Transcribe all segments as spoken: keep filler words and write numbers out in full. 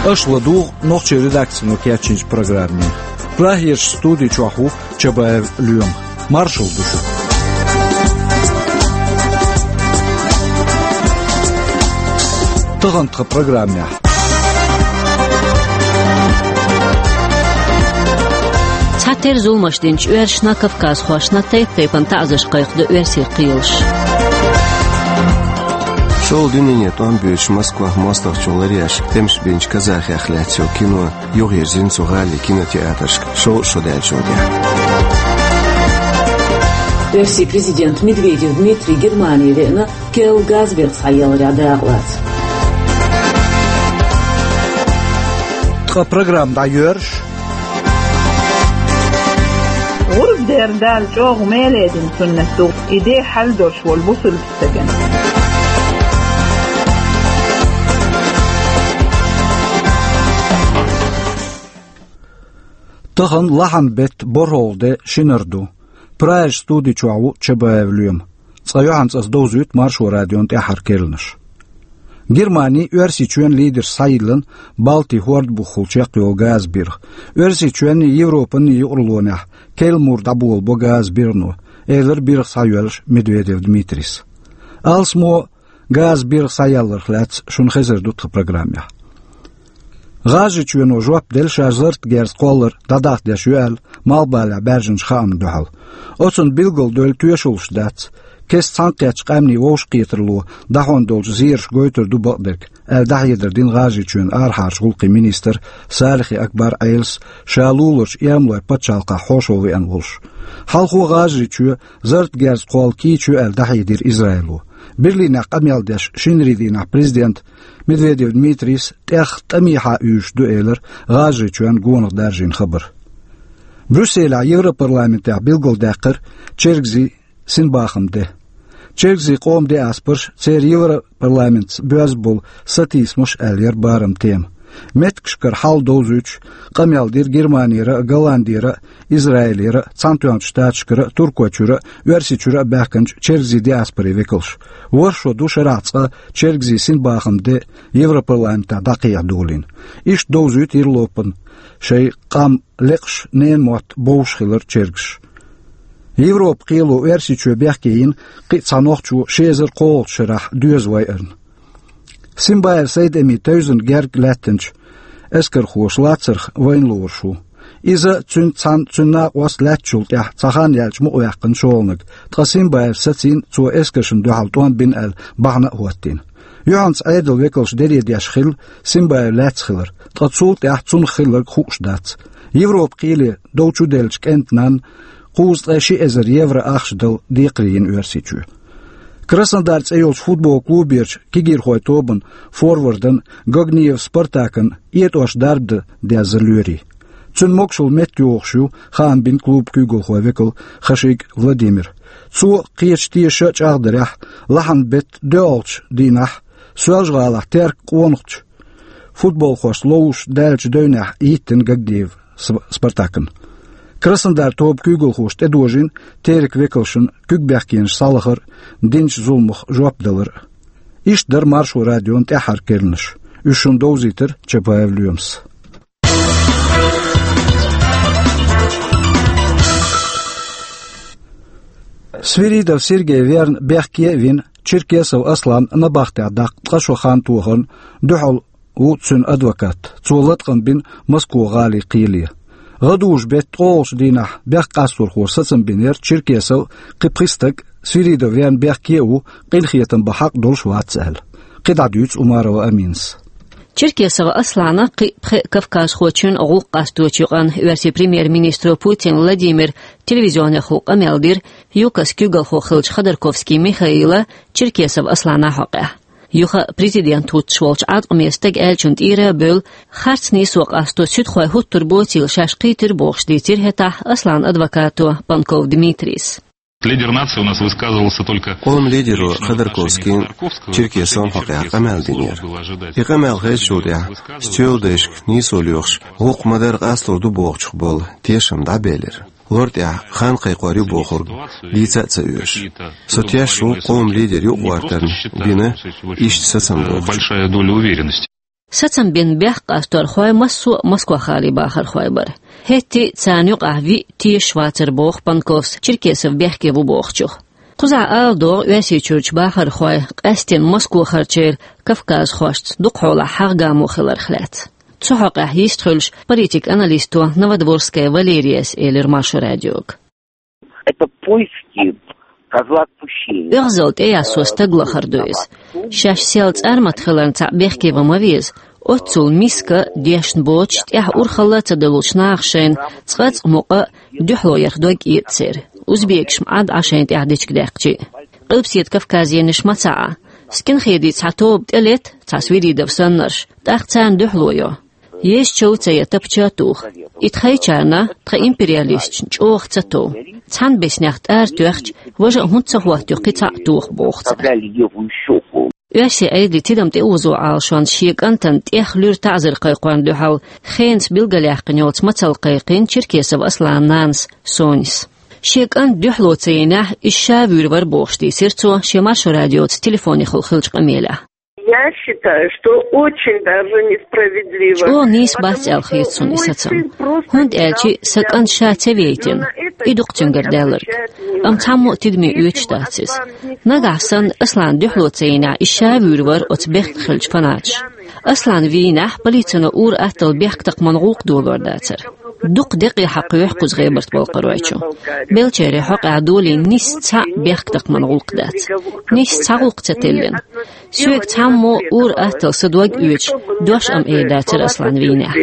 Аша ладугӀу нохчийн редакцино кечйинчу программе. Прагерчу студи чохь ву Чабаев Лоьма. Маршалла ду шуьга. Тахана тхан программехь. Цхьатерра зуламаш динчу оьрсашна, кавказхошна тайп-тайпана таӀзарш кхайкхадо оьрсийн кхелаша. ШолгӀа дуьненан тӀом боьдуш Москвахь мостагӀчо ларъеш, тӀемаш бинчу казахех лаьцна йолу кино юхавирзина цу гӀалин кинотеатрашка шовзткъа шо даьллачул тӀаьхьа. Оьрсийн президент Медведев Дмитрий Германе веана, керла газбирх схьаяларехь дакъалаца. Ткъа программа дӀайоьрзуш. ГӀурба дер Дала чӀогӀа мел дина суннат ду, и де хьал долуш волу бусулба стагана. Тахана лахьан беттан борхӀалгӀа де, шинара ду. Прагерчу студи чохь ву Чабаев Лоьма. Цкъа юьхьанца ас довзуьйту Маршо радион тӀаьххьара керланаш. Германи Оьрсийчоьнан лидерш схьайиллина Балтин хӀорда бухахула чекхйолу газбирх. Оьрсийчоьнний, Европанний юкъараллехь керла мур дӀаболабо газбирхано, элира бирх схьайоьллуш Медведев Дмитрийс. Алсамо газбирх схьаяларх лаьцна шуна хезар ду тхан программехь. ГӀажарийчоьно жоп делла, ша зарратан герз кхоллар дӀадахьа деш ю аьлла, малхбалехь баьржинчу хаамна дуьхьал. Оцунна билгалдевлла тоьшаллаш дац, кеста цхьаьнакхеттачу къаьмнийн вовшахкхетаралло дӀахьон долчу зераша гойтур ду бакъдерг, аьлла дӀахьедар дина ГӀажарийчоьнан арахьарчу гӀуллакхийн министр Салихи Акбар Ӏелас, ша луларчу Эрмалойн пачхьалкхехь хьошалгӀа веана волуш. Хьалхо ГӀажарийчоь зарратан герз кхолла кийча ю аьлла дӀахьедира Израило. Берлинехь къамел деш шинарин дийнахь президента Медведев Дмитрийс тӀех тӀамехьа уьйзуш ду элира ГӀажарийчоьнна гонах даржийна хабар. Брюсселехь Европарламентехь билгалдаьккхира чергазийн синбахаман де. Чергазийн къоман диаспораш, церан Европарламентца боьзна болу сатийсамаш аьлла яра бараман тема. Меттигашкара хьал довзуьйтуш, къамел дира Германера а, Голландера а, Израилера а, Цхьаьнатоьхначу Штаташкара а, Туркойчуьра а, Оьрсийчуьра а баьхкинчу чергазийн диаспорийн векалш. ВорхӀ шо ду шарахь цкъа чергазийн синбахаман де Европарламентехь дӀакхехьа долийна. Иштта довзуьйту Европана шайн къам лекъаш, ненан мотт бовзуш хилар чергазаш. Европан кхело Оьрсийчоь бехке йина кхин а цхьа нохчо ши эзар кхоалгӀачу шарахь доьза вайарна. Симбаев Сайд-Эми тевзина герга лаьттинчу эскархоша лацарх вайна лоруш ву. Иза, цуьнца цхьаьна цуьнан накъост лаьттачул тӀаьхьа цхьа хан яьлча мукъаваьккхина шолгӀаниг, ткъа Симбаевс сацийна, цо эскаршна дуьхьал тӀом бина аьлла, бахьана а хӀоттийна. Юьхьанца Ӏедалан векалша даре деш хилла Симбаев лаьцна хилар, ткъа цул тӀаьхьа цунах хилларг хууш дац. Европан кхеле дов чуделлачу кӀентан нанна кхузткъе ши эзар евро ахча дала декхаре йина Оьрсийчоь. Краснодар цӀе йолчу футбол клуберчу кегийрхойн тобан форвардан Гогниев Спартакан этӀош дарба дан дезза лоьрий. Цуьнан могушалла меттайогӀуш ю, хаам бина клубан куьйгалхойн векал Хашиг Владимир. Цо кхечу тешаш а чӀагӀдарехь, лахьан беттан доьалгӀачу дийнахь Соьлжа-ГӀалахь теркан къонахчу футболхошца ловзуш даьллачу девнехь йиттина Гогниев С-, Спартакан. Краснодар тобан куьйгалхоша тӀедожийна теркан векалшна куьг бехкенаш схьалахар а, динчу зуламах жоп далар а. Иштта дара Маршо радион тӀаьххьара керланаш. Уьш шуна довзийтира Чабаев Лоьмас. Свиридов Сергей верна бехке а вина, Черкесов Аслан набахтехь даккха ткъа шо хан тохарна дуьхьал ву цуьнан адвокат. Цо латкъам бина Москва-гӀалин кхеле. ГӀадужу беттан ткъолгӀачу дийнахь бехк къасторхо сацам бинера Черкесов а, кхин пхи стаг а, Свиридов верна бехке а ву, къинхетам бан хьакъ долуш вац аьлла. КхидӀа дуьйцу Умарова Аминас. Черкесов Аслана, кхин пхи кавказхочун гӀуллакх къасточу юкъанна оьрсийн премьер-министро Путин Владимира телевизионехула къамел дира ЮКОС куьйгалхо хиллачу Ходорковский Михаила Черкесов Аслана хьокъехь. Юха президент хӀуттуш волчу Ӏаткъаме стага аьллачун тӀера а бевлла, харц нийсо къасто суьдхой хӀуттур боцийла шаьш кхийтира бохуш дийцира хӀетахь Асланан адвокато Панков Дмитрийс. Лидер нации у нас высказывался только... Къоман лидеро Ходорковскийна Черкесовн хьокъехь къамел динера. И къамел хезачул тӀаьхьа, стоьла дайшка нийсо лоьхуш, гӀуллакх ма-дарра къастор ду бохучух болу тешам дӀабелира. Лор тӀехь хан кхайкхор ю бохург дийца а ца оьшу. Со теш ву къоман лидер юкъагӀортарна дина иштта сацам бохучун. Большая доля уверенности. Сацам бина бехк къасторхой массо а Москва-гӀалий бахархой бара. ХӀетте а царна юкъахь виъ тешаш вацар, боху Панковс Черкесов бехке ву бохучух. Кхузахь ала догӀу Оьрсийчуьрчу бахархой къаьсттина Москва-гӀаларчеран кавказхошца дукха хьолахь хьагӀ-гамо хиларх лаьцна. Цу хьокъехь йист хуьлуш, политик-аналисто Новодворская Валерияс элира Маршо радиога. Это поиски козла отпущения. ОьгӀазалла тӀеяссо стаг лахар ду иза. Шаьш сел цӀармат хиларна цхьаъ бехке ван ма веза. Оццул миска, дешна боцуш, тӀехь урхалла а ца далучу наха шайна цкъа-цкъа мукъа дуьхьало ярх дог а эццера, узбекаш ма Ӏад Ӏа шайна тӀехь дечиг даьккхича а. Къилбаседа Кавказенаш ма ца Ӏа. Скинхедийн цхьа тоба тӀелета, цхьа Свиридов саннарш, тӀаккха царна дуьхьало йо. Езачул а ца ян, тапча а туха. И тхайчарна, тхан империалисташна чӀогӀа ца тов. Цхьана беснех тӀара тоьхча, важа а хӀунда ца хӀоттайо кхин цхьаъ тоха, боху цара. Оьрсийн Ӏедалан тидам тӀеозо Ӏалашонца шен кӀантана тӀех луьра таӀзар кхайкхорна дуьхьал хенца билгалъяьккхина йолчу мацалла кхайкхина Черкесов Асланан нанас Сонис. Шен кӀант дуьхьало ца йинехь, иза ша вуьйр вара бохуш дийцира цо шен Маршо радиоца телефонехула хиллачу къамелехь. Я считаю, что очень даже несправедливо. ЧӀогӀа нийса бац аьлла хета суна и сацам. ХӀунда аьлча сан кӀант ша ца вейтина, и ду-кх цуьнгара даьлларг. Амма цхьаммо а тидаме оьцуш дац иза. Нагахь санна Аслан дуьхьало ца йинехь, иза ша вуьйр вара оцу бехке хиллачу фанаташа. Аслан вийнехь, полицино ур-атталла бехктакхаман гӀуллакх долор дацара. Дукха декъе хьакхоьхьу кхуза ГӀебарта-Балкхаройчу. Беллачеран хьокъехь долийна нисса цхьаъ бехктакхаман гӀуллакх дац. Нисса цхьа гӀуллакх ца теллина. Соьга цхьаммо ур-атталла сан дог оьцуш, дош а ма эр дацара Аслан вийнехь.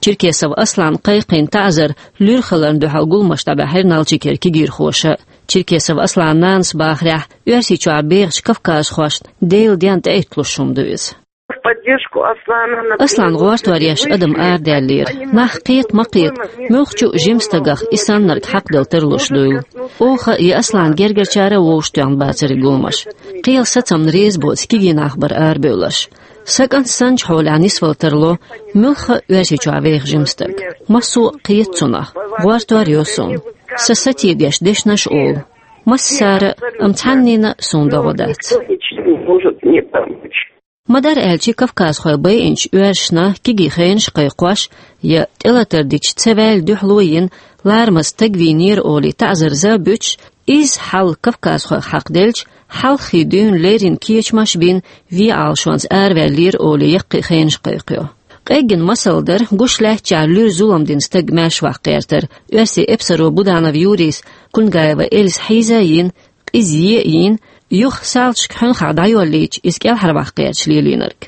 Черкесов Аслана кхайкхийна таӀзар луьра хиларна дуьхьал гуламаш дӀабаьхьира Налчикера кегийрхоша. Черкесов Асланан нанас бахарехь, Оьрсийчохь бехачу кавказхошна Делан денна тӀеитталуш хӀума ду иза. В поддержку Аслана, например, Аслан гӀортор еш адам арадаьллера. Нах кхета ма кхета, муьлххачу а жима стагах и саннарг хьакхадала тарлуш дуйла. Оха я Аслан гергарчара а вовшахтоьхна бацара и гуламаш. Кхелан сацамна реза боцу кегий нах бара арабевлларш. Сан кӀант санначу хьолехь нисвала тарло муьлхха а Оьрсийчохь веха жима стаг. Массо а кхета цунах, гӀортор йо суна. Сан сатийдеш дешнаш а олу. Массара а, амма цхьаннена а суна догӀа дац. Никто ничем не может мне помочь. Ма-дарра аьлча, кавказхой байинчу оьрсашна кегий хенаш кхайкхош я тӀелатар дича ца ваьлла дуьхьало йина, ларамаза стаг вийнера олий таӀзар-за буьтуш, изза хьал кавказхойх хьакхаделча, хьалххе дуьйна леррина кечамаш а бина, вен Ӏалашонца араваьллера олий яккхий хенаш кхайкхайо. Къеггина масал дара гуш лаьттачохь луьра зулам дина стаг маьршаваккха гӀертар оьрсийн эпсаро Буданов Юрийс Кунгаева Эльза хьийза а йина, къиза е а йина, юха салташка хьуьнхахь дӀайоллийча, иза кӀелхьарваккха гӀерташ лелийнарг.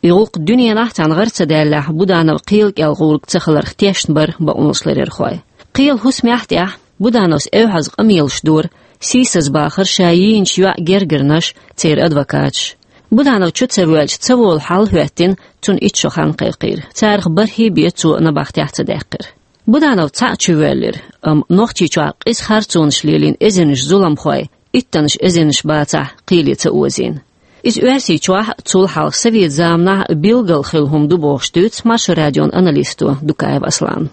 И гӀуллакх дуьненахь цхьаьна гӀара ца даьллехь, Буданов кхелан кӀел гӀург ца хиларх тешна бара бакъонашларъярхой. Кхелан хӀусамехь тӀехь Будановс эвхьаза къамелаш дора, сийсазбахара ша йийначу йоӀан гергарнаш, церан адвокаташ. Буданов чу ца воьлча ца волу хьал а хӀоьттина, цунна итт шо хан кхайкхийра. Царах бархӀе бен цо набахтехь ца даьккхира. Буданов цхьаъ чувоьллира, амма Нохчийчохь къиза харцонаш лелийна эзарнаш зуламхой, иттаннаш эзарнаш бацахь, кхеле ца озийна. Иза Оьрсийчохь а, цул хьалха совет заманахь а билггал хилла хӀума ду бохуш дуьйцу Маршо радион аналисто Дукаев Аслана.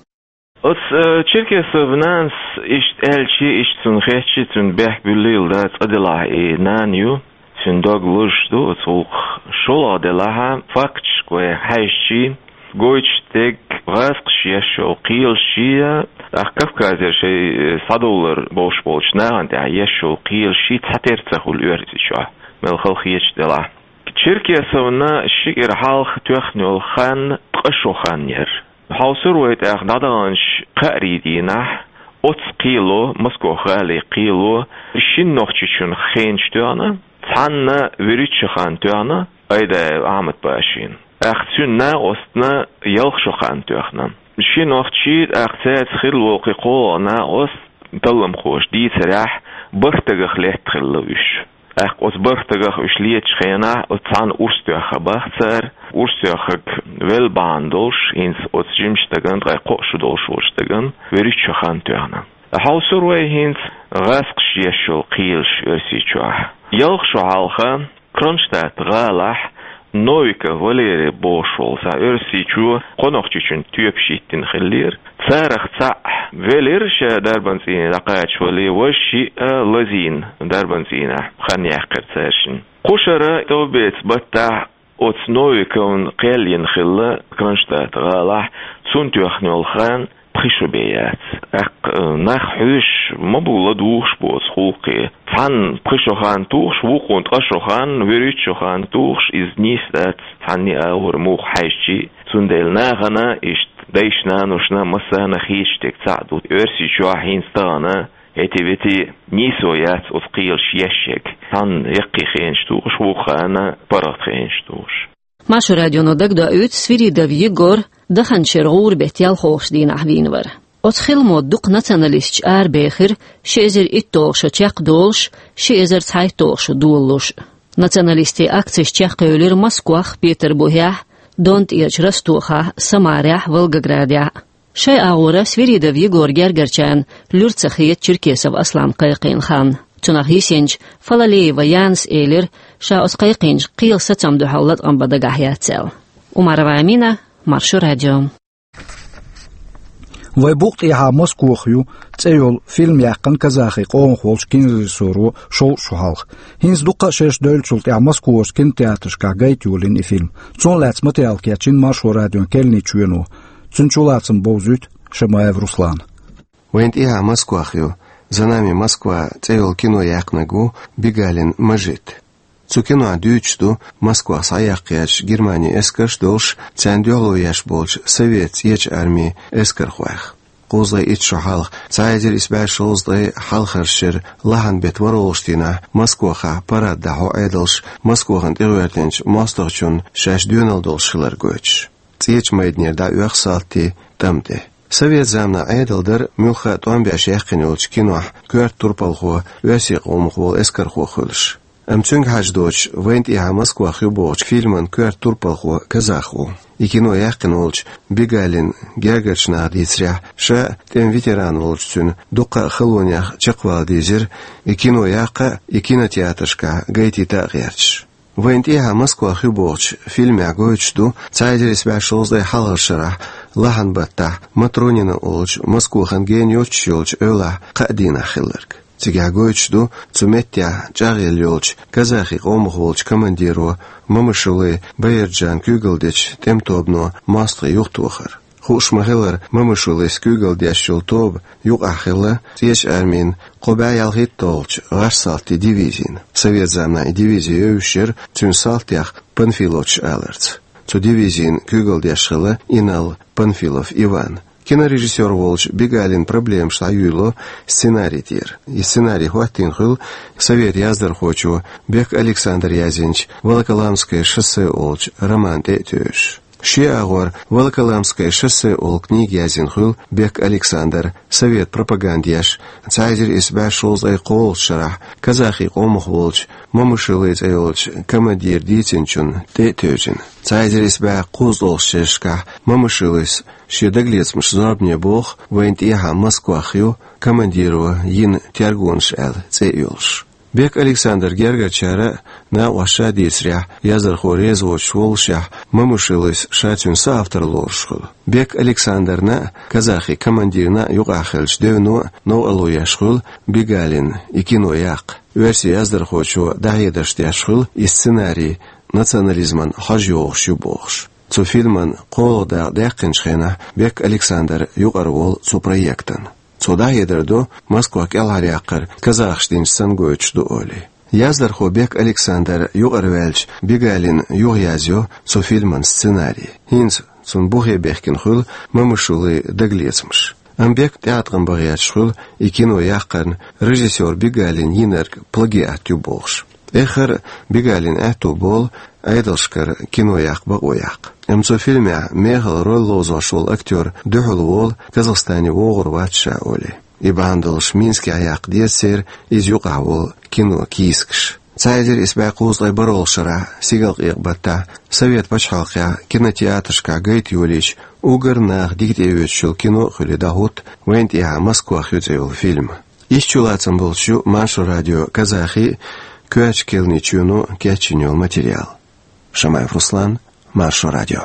Оцу, э, Черкесовн нанас иштта аьлча, иштта цунна хетча, цуьнан бехк буьллийла дан цкъа делахь, и нана ю, цуьнан дог лозуш ду оцу гӀуллакхах. ШолгӀа делахь, факташка вай хьаьжча, гойтуш дерг гӀазкхаша еш йолу кхелаш а, тӀаккха Кавказера шайн, э, схьадовлар бовш болчу нахана тӀехь еш йолу кхелаш а цхьатерра ца хуьлу Оьрсийчохь, мел хала хеташ делахь. Черкесовн ши кӀира хьалха тоьхна йолу хан ткъа шо хан яра. Хьовсур вай тӀаккха дӀадаханчу кхаарийн дийнахь, оцу кхело, Москох-гӀалин кхело, шина нохчичун хенаш тоьхна, цхьанна вуьрхӀитта шо хан тоьхна, Айдаев Ахьмад-пашин. ТӀаккха цуьнан накъостна ялх шо хан тоьхна. Ши нохчи, тӀаккха цаьрца хилла волу кхин кхоалгӀа накъост, талламхоша дийцарехь, бархӀ дагах летта хилла уьш. ТӀаккха оцу бархӀ дагах уьш летачу хенахь, оцу цхьанна урс тоьхна бах цара, урс тоьхнарг велла бахьана долуш, хӀинца оцу жимачу стагана, ткъе кхоъ шо долуш волчу стагана, вуьрхӀитта шо хан тоьхна. Хьовсур вай хӀинца гӀазкхаша еш йолу кхелаш Оьрсийчохь. Ялх шо хьалха Кронштадт-гӀалахь Новиков Валерий бохуш волу цхьа Оьрсийчоь кхо нохчичун тоьпаш йиттина хиллера. Царах цхьаъ велира ша дарбан цӀийне дӀакхачавале, важа шиъ а лазийна дарбан цӀийнехь хан яьккхира цаьршинна. Кху шарахь товбеца баттахь Оцу Новиковна кхел йина хилла Кронштадт гӀалахь, цунна тоьхна йолу хан пхи шо бен яц. ТӀаккха, э, нах хьоьжуш ма бу ладугӀуш бу оцу гӀуллакхе. Цхьанна пхи шо хан тухуш, вукхунна ткъа шо хан, вуьрхӀитта шо хан тухуш, иза нийса дац, цхьанне а агӀор муха хьаьжча а. Цундела нахана, иштта дайша-наношна массарна хеташ дерг цхьаъ ду. Оьрсийчохь хӀинца тахана хӀетте-ветте нийсо яц оцу кхелаша еш ерг. Цхьанна яккхий хенаш тухуш, вукху ханна паргӀат хенаш тухуш. Маршо радионо дагадоуьйту, Свиридов Егор даханчу шеран гӀуран беттан ялхолгӀачу дийнахь вийна вара. Оцу хиламо дукха националисташ арабехира ши эзар итталгӀа шо чекхдолуш, ши эзар цхьайтталгӀа шо долалуш. Националистийн акцеш чекхъевлира Москвахь, Петарбухехь, Дон тӀерачу Ростохахь, Самарехь, Волгоградехь. Шайн агӀора Свиридов Егоран гергарчарна луьра ца хета Черкесов Аслан кхайкхийна хан. Цунах йисинчу Фалалеева Янас элира, ша оцу кхайкхийначу кхелан сацамна дуьхьал латкъам бан дагахь яц аьлла. Умарова Амина, Маршо радио. «Вайн букъ тӀехьа Москох ю» цӀе йолу фильм яьккхина казахи къомах волчу кинорежиссоро шовзткъа шо хьалха. ХӀинца дуккха а шераш девллачул тӀаьхьа Москвахь кинотеатрашкахь гайта йолийна и фильм. Цунах лаьцна материал кечйина Маршо радион керланийн чоьно. Цуьнан чулацам бовзуьйту Шамаев Руслана. «Вайн тӀехьа Москох ю», «За нами Москва» цӀе йолу кино яьккхинарг ву Бигалин Мажит. Цу кинохь дуьйцуш ду Москвахь схьаяккха гӀерташ Германин эскарш долуш, царна дуьхьало еш болчу Совет цӀечу армин эскархойх. Кхузткъе итт шо хьалха, цхьа эзар исс бӀе шовзткъе хьалхарчу шеран лахьан беттан ворхӀалгӀачу дийнахь Москвахь парад дӀахьо Ӏедалша, Москвахана тӀегӀертинчу мостагӀчунна шаьш доьналла долуш хилар гойтуш. ЦӀечу майданера дӀаоьху салтий тӀам тӀе. Совет заманахь Ӏедал дара муьлхха а тӀом беш яьккхина йолчу кинохь коьрта турпалхо, оьрсийн къомах волу эскархо хуьлуш. Амма цуьнга хьажа доцуш, «Вайн тӀехьа Москох ю» бохучу фильман коьрта турпалхо казах ву. И кино яьккхина волчу Бигалин гергарчу наха дийцарехь, ша тӀеман ветеран волчу цуьнан дуккха а халонех чекхвала дийзира и кино яккха а, и кинотеатрашкахь гайтийта а гӀерташ. «Вайн тӀехьа Москох ю» бохучу фильмехь гойтуш ду цхьа эзар исс бӀе шовзткъе хьалхарчу шарахь лахьан баттахь Матронина олучу, Москвахана гена йоцуш йолчу эвлахь кхаа дийнахь хилларг. Цигахь гойтуш ду цу меттехь чӀагӀъелла йолчу казахи къомах волчу командиро Мамашулы Баирджана куьйгалла дечу тӀеман тобано мостагӀий юхатохар. Хууш ма-хиллара, Мамашулыс куьйгалла деш йолу тоба юкъахь хилла ЦӀечу армин кхо бӀе ялхитталгӀачу гӀарш-салтийн дивизина. Совет заманахь и дивизи евзаш яра цуьнан салтех Панфиловцаш аларца. Цу дивизина куьйгалла деш хилла Инал Панфилов Иван. Кинорежиссёр волчу Бигалина проблемаш дӀаюьйло сценарий тӀера. И сценарий хӀоттийна хуьлу совет яздархочо Бек Александра язйинчу «Волоколамское шоссе» олучу роман тӀе а тевжаш. Шен агӀор «Волоколамское шоссе» олу книга язйина хуьлу Бек Александра, совет пропаганда еш, цхьа эзар исс бӀе шовзткъе кхоалгӀачу шарахь казахи къомах волчу Мамашулы цӀе йолчу командира дийцинчунна тӀе а тевжина. Цхьа эзар исс бӀе кхузткъалгӀачу шерашкахь Мамашулыс шен дагалецамашна зорбане боху «Вайн тӀехьа Москох ю» командиро йина тергонаш аьлла цӀе а йолуш. Бек Александра гергарчара а, накъосташа а дийцарехь, яздархо реза воцуш воллушехь, Мамашулыс ша цуьнан соавтор лоруш хуьлу. Бек Александрна а, казахи командирна а юкъахь хиллачу девно а новкъарло еш хуьлу Бигалина и кино яккха. Оьрсийн яздархочо дӀахьедарш деш хуьлу и сценарий национализман хьожа йогӀуш ю бохуш. Цу фильман кхоалгӀа дакъа даьккхинчу хенахь Бек Александр юкъара волу цу проектан. Цо дӀахьедар до Москва кӀелхьаръяккхар казахаша динчу санна гойтуш ду олий. Яздархо Бек Александр юкъараваьлча, Бигалина юхаязйо цу фильман сценарий. ХӀинца цунна бухе бехкина хуьлу Мамашулы дагалецамаш. Амма Бек тӀеӀаткъам бан гӀерташ хуьлу и кино яккхарна режиссёр Бигалина йинарг плагиат ю бохуш. Эххар а Бигалина аьтто болу Ӏедалшкара кино яккха бакъо яккха. Амма цу фильмехь мехала роль ловзош волу актёр дуьхьал волу, Казахстане вогӀур вац ша олий. И бахьана долуш Минскехь яккха деза церан иза юкъахь волу кино кийсакаш. Цхьа эзар исс бӀе кхузткъе бархӀалгӀачу шарахь, Сигалкъекъа баттахь, Совет пачхьалкхехь кинотеатрашкахь гайта йолийча, уггар наха дика тӀеоьцуш йолу кино а хуьлий дӀахӀутту «Вайн тӀехьа Москох ю» цӀе йолу фильм. Иштта чулацам болуш ю Маршо радион казахи а, коьртачу керланийн чоьно кечйина йолу материал. Шамаев Руслан, Маршо радио.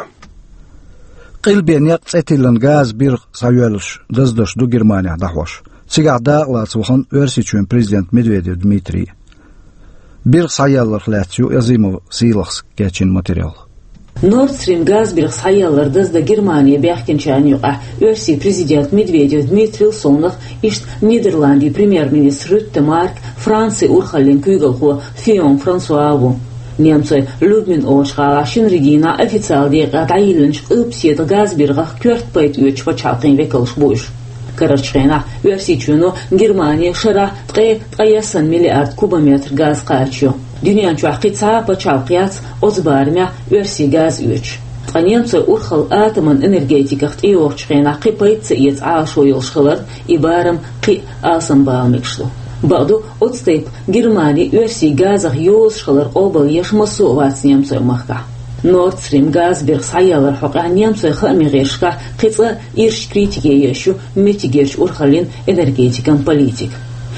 Къилбен некъ цӀе тиллина газан биргӀа схьайоьллуш даздарш ду Германехь дӀахьош. Цигахь дакъалаца вахана Оьрсийчоьнан президент Медведев Дмитрий. Бирх схьаялларх лаьцна ю Азимов Сийлахьс кечйина материал. Nord Stream газбирх схьаяллар даздан Германе баьхкинчарна юкъахь Оьрсийн президент Медведев Дмитрий совнах, иштта Нидерландийн премьер-министр Рютте Марк, Францин урхаллин куьйгалхо Фион Франсуа а ву. Немцойн Люблин олучу гӀалахь шинарин дийнахь официалан декъехь дӀайиллинчу къилбаседа газбиргӀах коьрта пайда оьцучу пачхьалкхийн векалш бу уьш. Карарчу хенахь Оьрсийчоьно Германе шарахь ткъе ткъаяссанна миллиард кубометр газ кхачийо. Дуьнен чохь кхин цхьа а пачхьалкх яц оцу барамехь Оьрсийн газ оьцуш. Ткъа немцойн урхалла атоман энергетиках тӀейогӀучу хенахь кхин пайда ца эца Ӏалашо йолуш хиларна, и барам кхин а алсамбала мегаш ду. Бакъду, оцу тайпа Германи Оьрсийн газах йозуш хилар къобалъеш массо а вац немцойн махкахь. Nord Stream газбирх схьаялларх хьокъехь немцойн хаамийн гӀирсашкахь кхин цкъа ирча критике еш ю меттигерчу урхаллин, энергетикан политика.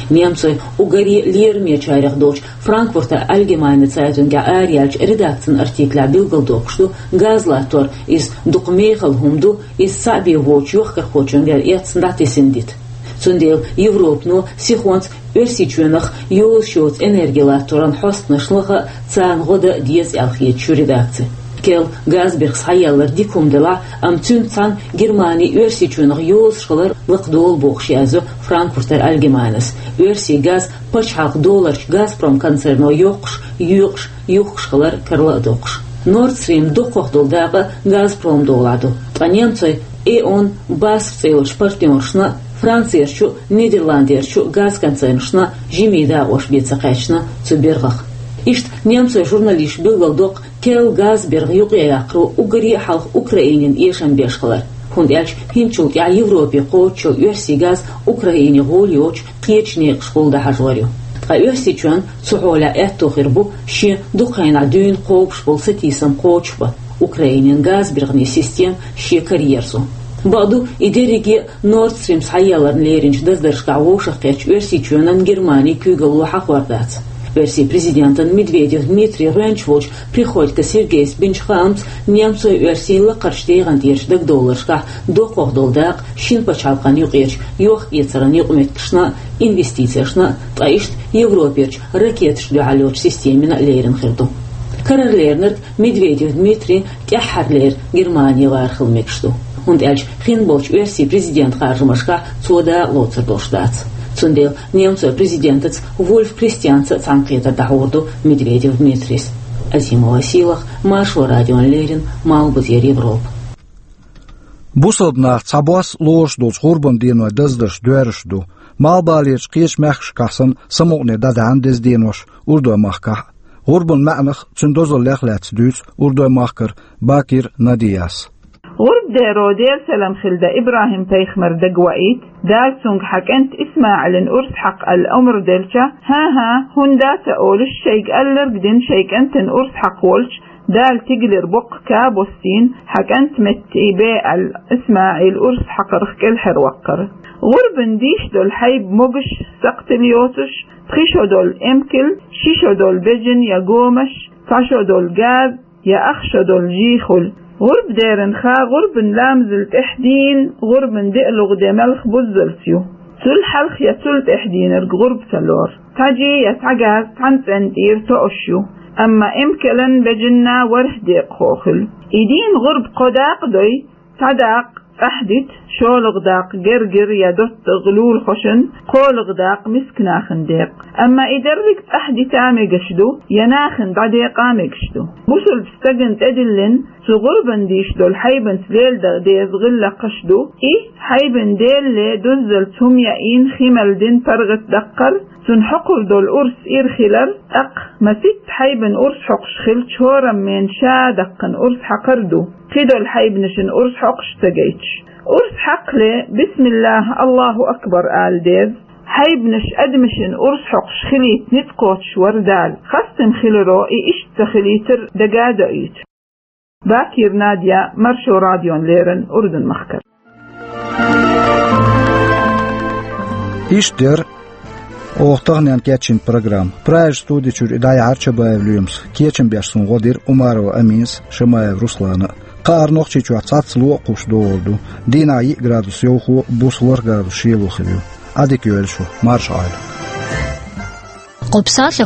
Немцойн уггаре лерамечарех долчу Франкфуртер Allgemeine Zeitung-ехь араяьллачу редакцин артиклехь билгалдоккхуш ду, газ латтор иза дукха мехала хӀума ду, иза цхьаъ бен воцучу йохкархочун вер эцна дӀатесна дита. Цундела Европано сихонца Оьрсийчоьнах йозуш йоцу энерги латторан хьостанашна лаха а, царна гӀо дан а деза аьлла хеташ ю редакци. Керла газбирх схьаяллар дика хӀума делахь а, амма цуьнца цхьаьна Германи Оьрсийчоьнах йозуш хилар лакхадолу бохуш язйо Франкфуртер Allgemeineс, Оьрсийн газ пачхьалкх доларчу Газпром концерно йоккхуш, йоькъуш, юхкуш хилар карла а доккхуш. Nord Stream доккхах долу дакъа Газпром долахь ду, ткъа немцойн E.ON BASF цӀе йолчу партнершна а, Францерчу а, Нидерландерчу а газконцернашна а жимма дакъош бен ца кхаьчна цу биргӀах. Иштта немцойн журналисташа билгалдоккху керла газбиргӀа юкъаяккхаро уггаре а хьалха Украинина эшам беш хилар, хӀунда аьлча хӀинцачул тӀаьхьа Европе кхочуш йолу Оьрсийн газ Украине гӀоли йоцуш кхечу некъашкахула дӀахьажор ю. Ткъа Оьрсийчоьнна цу хьолехь аьтто хир бу шен дукха хенахь дуьйна кхобуш болу сатийсам кхочушбан, Украинин газбиргӀанийн система шен караерзо. Бакъду, и дерриге а Nord Stream схьаялларна леринчу даздаршкахь вовшахкхеттачу Оьрсийчоьнан Германин куьйгалло хьахор дац. Оьрсийн президентан Медведев Дмитрий гӀоьнча волчу Приходько Сергейс бинчу хаамца, немцойн-оьрсийн лакхарчу дегӀан тӀерачу дагадовларшкахь доккхах долу дакъа шина пачхьалкхан юкъерчу йохк-эцаран юкъаметтигашна а, инвестицешна а, ткъа иштта Европерчу ракеташна дуьхьал йолчу системина а лерина хир ду. Карара леринарг Медведев Дмитрий тӀаьххьарлера Германе вархила мегаш ду, хӀунда аьлча хин болчу Оьрсийн президентан харжамашкахь цо дакъа лоцур долуш дац. Цундела немцойн президентаца Вульф Кристианца а цхьаьнакхетар дӀахьур ду Медведев Дмитрийс. Азимова Сийлахь, Маршо радиона леррина, Малхбузера Европа. Бусалба нах цхьабосса лоруш долчу гӀурбан денойн даздарш доьрзуш ду. Малхбалерчу кхечу мехкашкахь санна самукъане дӀадаьхьна деза денош Урдой-махкахь а. ГӀурбан маьӀнах, цуьнан дозаллех а лаьцна дуьйцу Урдой-махкара Бакир Надияс. ГӀурба деро, Делан салам хилла Ибрахим-пайхамар дагаваийта, Дала цуьнга хьан кӀант ИсмаӀилан урс хьакха аьлла омра делча: «ХӀан-хӀа, хӀунда дац а», — олуш, шайга алларг дина шайн кӀантана урс хьакха волчу, Дала тигалера боккха ка боссийна, хьан кӀант метта бе аьлла, ИсмаӀил урс хьакхарх кӀелхьарваккхара. ГӀурбан дийш долу хьайба могуш, сакхтилла йоцуш, пхи шо долу эмкал, ши шо долу бежан я гомаш, цхьа шо долу газ, я ах шо долу жий хуьлу. ГӀурба деран ха гӀурбан ламазал тӀаьхьа дийна, гӀурбан диълагӀа де малх буззалц ю. Цул хьалха я цул тӀаьхьа дийнарг гӀурба ца лору. Цхьа жий я цхьа газ цхьана цӀенна тӀера тоъуш ю, амма эмкалан, бежанна ворхӀ декъахо хуьлу. И дийнан гӀурба кхо дакъа дой, цхьа дакъа цӀахь дита, шолгӀа дакъа гергара я доттагӀа лулахошна, кхоалгӀа дакъа мискачу нахана декъа. Амма и дерриг цӀахь дита а мегаш ду, я нахана дӀадекъа а мегаш ду. Бусалба стагана тӀедиллина цу гӀурбан дийш долу хьайбанца леладан деза гӀиллакхаш ду. И хьайбан делле дуззалц хӀума яийна, хи мел дина паргӀатдаккхар, цунна хьокхур долу урс ира хилар, тӀаккха маситта хьайбан урс хьокхуш хилча, хӀораммо ша даккхана урс хьакхар ду. Кхидолу хьайбанашна урс хьокхуш ца гайташ. Урс хьакхале, бисмиллахӀ, АллахӀу акбар ала деза. Хьайбанаш адамашна урс хьокхуш хилийта ницкъ кхочуш вара Дала. Хастам хиларо и иштта ца хилийтар дага а доуьйту. Бакир Надя, Маршо радиона леррина, Урдун-махкара. Иштта дара оха таханлерчу программа. Прагерчу студи чуьра и дӀаяьхьира Чабаев Лоьмас, кечам беш суна гӀо дира Умарова Аминас, Шамаев Руслана. Кхаара Нохчийчохь цхьацца ло а кхуссуш догӀур ду. Дийнахь йиъ градус йовхо, буса ворхӀ градус шело хир ю. Ӏадика йойла шу, марша Ӏойла. Кху псале